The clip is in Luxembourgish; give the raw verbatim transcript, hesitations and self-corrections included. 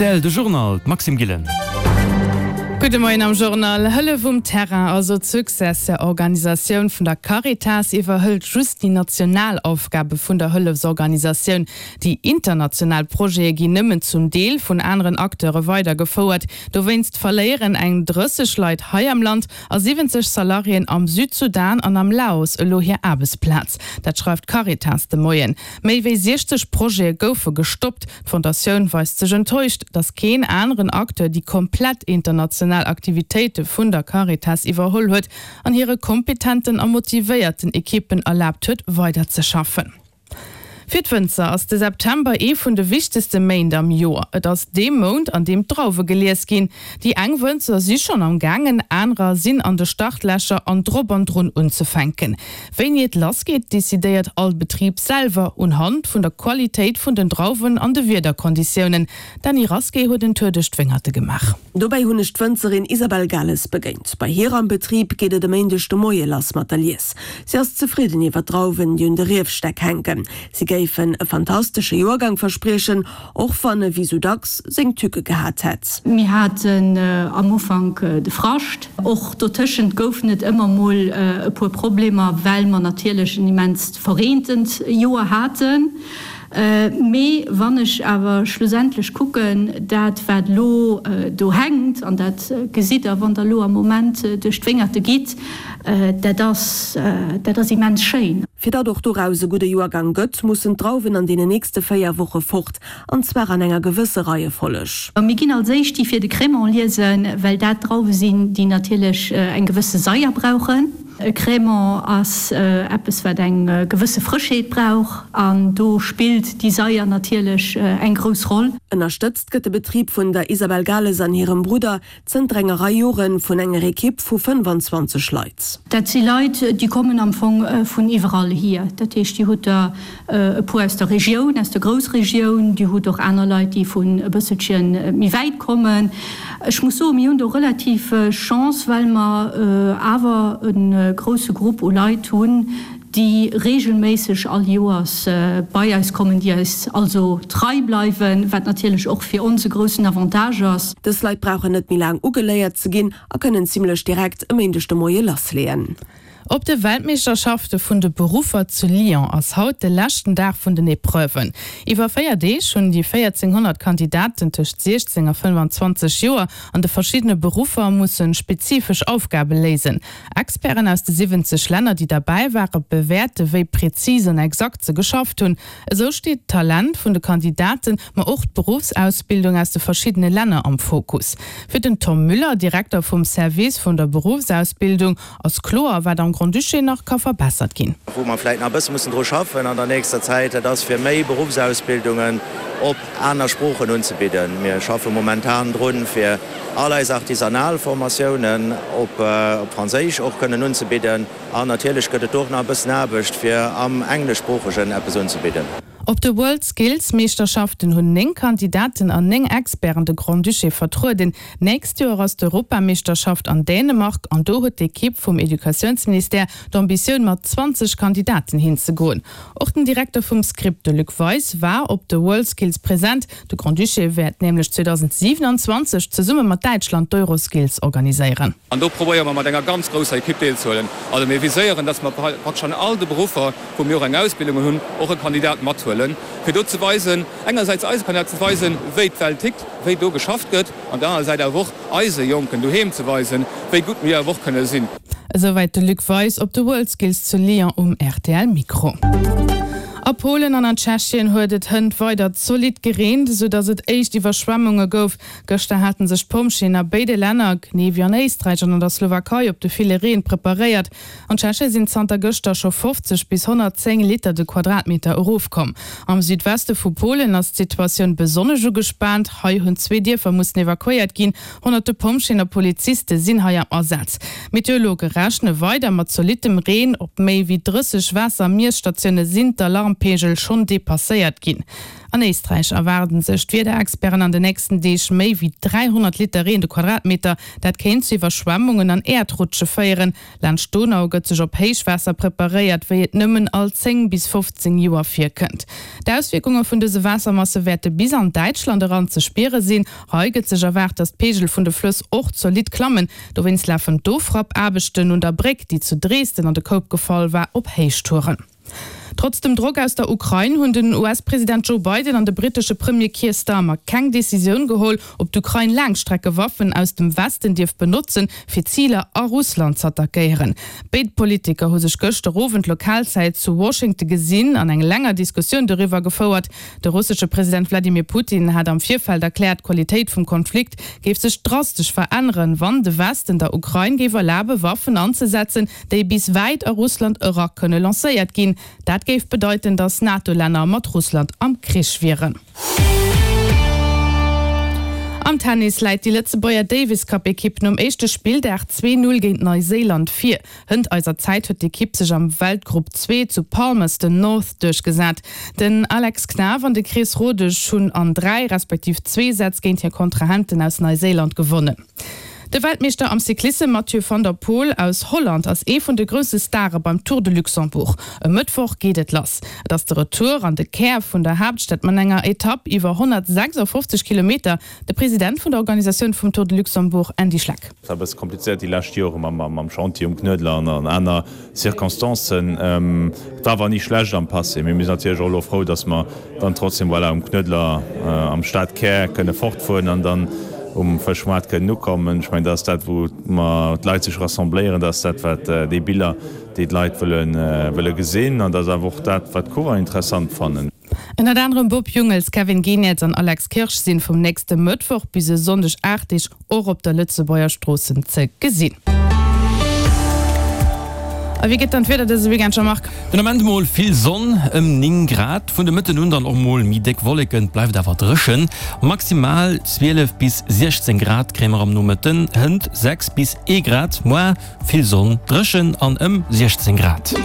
Rtl, de Journal, d'Maxime Gillen. Gudde Moien am Journal. Hëllef um Terrain, also d'Successeur-Organisatioun vun der Caritas, iwwerhëlt just déi national Aufgabe vun der Hëllefsorganisatioun. Déi international Projete ginn nëmmen zum Deel vun aneren Acteure weidergefouert. Dowéinst verléieren eng drësseg Leit hei am Land a siwwenzeg Salariéen am Südsudan an am Laos elo hir Aarbechtsplaz. Dat schreift d'Caritas de Moien. Méi wéi siechzeg Projete goufe gestoppt. D'Fondatioun weist sech enttäuscht, datt keen aneren Acteur déi komplett international Aktivitéite vun der Caritas iwwerholl huet an hire kompetenten a motivéierten Ekippen erlaabt huet, weiderzeschaffen. Fir d'Wënzer ass de September ee vun de wichtegste Méint am Joer. Et ass dee Mount, an deem d'Drauwe gelies ginn. Déi eng Wënzer si schonn am gaangen, anerer sinn an de Startlächer an drop an drun unzefänken. Wéini et lass geet, decidéiert all Betrib selwer, unhand vun der Qualitéit vun den Drauwen an de Wiederkonditiounen. D'Dany Rasqué huet en Tour duerch d'Wéngerte gemaach. Dobäi hunn ech d'Wënzerin Isabelle Gales begéint. Bei hir am Betrib geet et e Méindeg de Moie lass mat der Lies. Si ass zefridden iwwer d'Drauwen, déi un de Riefstäck hänken. Si géifen e fantastesche Joergang verspriechen, och wann e wéi sou dacks seng Tücke gehat hätt. Mir haten am Ufank de Frascht. Och dotëschent goufen et ëmmer mol e puer Problemer, well mer natierlech en immenst verreentent Joer haten. Mee wann ech awer schlussendlech kucken, dat wat elo do hänkt, an dat gesitt Der, wann Der elo am Moment duerch d'Wéngerte gitt, dat ass, dat ass immens schéin. Fir datt och doraus e gudde Joergang gëtt, mussen d'Drauwen an deenen nächste véier Woche fort, an zwar an enger gewësse Reiefolleg. Mir ginn als éischt déi fir de Crémant liesen, well dat Drauwe sinn, déi natierlech eng gewësse Saier brauchen. E Crémant ass eppes, wat eng gewësse Frëschheet brauch, an do spillt déi Saier natierlech eng grouss Roll. Ënnerstëtzt gëtt de Betrib vun der Isabelle Gales an hirem Brudder zënter enger Rei Jore vun enger Ekipp vu fënnefanzwanzeg Leit. Dat si Leit, déi kommen am Fong vun iwwerall hier. Dat heescht, Dir hutt der e puer aus der Regioun, aus der Groussregioun, Dir hutt och aner Leit, déi vun e bësselche méi wäit kommen. Ech muss soen, mir hunn do relativ Chance, well mer awer e grousse Grupp u Leit hunn, déi reegelméisseg all Joers bei eis kommen, déi eis also trei bleiwen, wat natierlech och fir ons e groussen Avantage ass. Dës Leit brauchen net méi laang ugeléiert ze ginn a kënnen zimlech direkt e Méindeg de Moie lassleeën. Op de Weltmeeschterschafte vun de Beruffer zu Lyon ass haut de leschten Dag vun den Epreuven. Iwwer véier Deeg hunn déi véierzénghonnert Kandidaten tëscht siechzéng a fënnfanzwanzeg Joer an de verschiddene Beruffer musse spezifesch Aufgabe léisen. Experten aus de siwwenzeg Länner, déi derbäi ware, bewäerte wéi prezis an exakt se geschafft hunn. Esou steet d'Talent vun de Kandidaten, ma och d'Beruffsausbildung aus de verschiddene Länner am Fokus. Fir den Tom Müller, Direkter vum Service vun der Beruffsausbildung, ass kloer, wat am Grand-Duché nach ka verbessert ginn. Wou mer vläicht nach e bësse mussen dru schaffen an der nächster Zäit, dat ass fir méi Beruffsausbildungen op aner Sproochen unzebidden. Mir schaffe momentan drun, fir all eis artisanal Formatiounen op Franséisch och kënnen unzebidden. An natierlech gëtt et do och nach e bëssen Aarbecht, fir am Engleschsproochegen eppes unzebidden. Op de World Skills Meeschterschaften hunn néng Kandidaten an néng Experten de Grand-Duché vertrueden. D'nächst Joer ass d'Europameeschterschaft an Dänemark an do huet d'Ekipp vum Educatiounsministère d'Ambitioun mat zwanzeg Kandidaten hinzegoen. Och den Direkter vum Script, de Luc Weis, war op de Worldskills present. De Grand-Duché wäert nämlech zweedausendsiewenanzwanzeg zesumme mat Däitschland d'Euroskills organiséieren. An do probéiere mer mat enger ganz grousser Ekipp deelzehuelen. Also mir viséieren, dass mer praktesch an all de Beruffer, wou mir och eng Ausbildung hunn, och e Kandidat mathuelen, fir do ze weisen, engersäits eise Kandidaten ze weisen, wéi d'Welt tickt, wéi do geschafft gëtt, an der anerer Säit awer och eise Jonken doheem ze weisen, wéi gutt mir awer och kënne sinn. Esouwäit de Luc Weis op de Worldskills zu Lyon um R T L Mikro. A Polen an an Tschechien huet et hënt weider zolidd gereent, esou datt et éischt Iwwerschwemmunge gouf. Gëschter hate sech d'Pompjeeën a béide Länner, genee wéi an Éisträich an an der Slowakei, op de ville Reen preparéiert. An Tschechie sinn zanter gëschter scho fofzeg bis honnertzéng Liter de Quadratmeter erofkomm. Am Südweste vu Polen ass d'Situatioun besonnesch ugespaant. Hei hunn zwee Dierfer mussen evakuéiert ginn. Honnerte Pompjeeën a Poliziste sinn hei am Asaz. Meteorologe rechne weider mat zolittem Reen. Op méi wéi drësseg Waasser-Miesstatioune sinn d'Alarmen Alarmpeegel schonn depasséiert ginn. An Éisträich erwaarden sech d'Wiederexperten an de nächsten Deeg méi wéi dräihonnert Liter Reen de Quadratmeter. Dat kéint zu Iwwerschwemmungen an Äerdrutsche féieren. Laanscht d'Donau gëtt sech op Héichwaasser preparéiert, wéi et nëmmen all zéng bis fofzéng Joer virkënnt. D'Auswierkunge vun dëse Waassermasse wäerte bis an Däitschland eran ze spiere sinn. Hei gëtt sech erwaart, datt d'Peegel vun de Flëss och zolidd klammen. Dowéinst lafen d'Ofrappaarbechten un der Bréck, déi zu Dresden an de Koup gefall war, op Héichtouren. Trotz dem Drock aus der Ukrain hunn den U S-President Joe Biden an de brittesche Premier Keir Starmer keng Decisioun geholl, ob d'Ukrain Laangstreckewaffen aus dem Westen dierf benotzen, fir Ziler a Russland z'attackéieren. Béid Politiker hu sech gëschter Owend Lokalzäit zu Washington gesinn an eng länger Diskussioun doriwwer gefouert. De russesche President Wladimir Putin hat am Virfeld erkläert, d'Qualitéit vum Konflikt géif sech drastesch veränneren, wann de Westen der Ukrain géif erlabe Waffen anzesetzen, déi bis wäit a Russland era kënne lancéiert ginn. Dat géif bedeiten, datt NATO-Länner mat Russland am Krich wieren. Am Tennis läit déi Lëtzebuerger Davis-Cup-Ekipp nom éischte Spilldag zwee Null géint Neuséiland vir. Hënt eiser Zäit huet d'Ekipp sech am Weltgrupp zwee zu Palmerston North duerchgesat. Den Alex Knaff an de Chris Rodesch hunn an dräi respektiv zwee Sätz géint hir Kontrahenten aus Neuséiland gewonnen. De Weltmeeschter am Cyclissem Mathieu van der Poel aus Holland ass ee vun de grousse Stare beim Tour de Luxembourg. E Mëttwoch geet et lass. Et ass de Retour an de Kär vun der Haaptstad mat enger Etapp iwwer honnertsechsafofzeg Kilometer. De President vun der Organisatioun vum Tour de Luxembourg Andy Schleck. Et war e bësse komplizéiert déi lescht Jore mam Chantier um Knuedler an aner Circonstancen. Et war awer ni schlecht am Passé. Mee mir sinn natierlech och elo frou, datt mer dann trotzdem, voilà, um Knuedler am Stadkär kënne fortfueren an dann um Fëschmoart kënnen ukommen. Ech mengen, dat ass dat, wou mer d'Leit sech rassembléieren, dat ass dat, wat déi Biller, déi d'Leit wëlle wëlle gesinn an dat ass awer och dat, wat d'Coureur interessant fannen. Ënnert anerem Bob Jungels, Kevin Geniets an Alex Kirsch sinn vum nächste Mëttwoch bis e Sonndeg aacht Deeg och op der Lëtzebuerger Stroossen ze gesinn. A wéi gëtt dann d'Wieder dëse Weekend, Jean-Marc? Den Ament mol vill Sonn, ëm néng Grad, vun de Mëtten un dann och mol méi déck Wolleken, et bleift awer dréchen. Maximal zwielef bis siechzéng Grad kréie mer am Nomëtten, hënt sechs bis ee Grad. Moar vill Sonn, dréchen an ëm siechzéng Grad.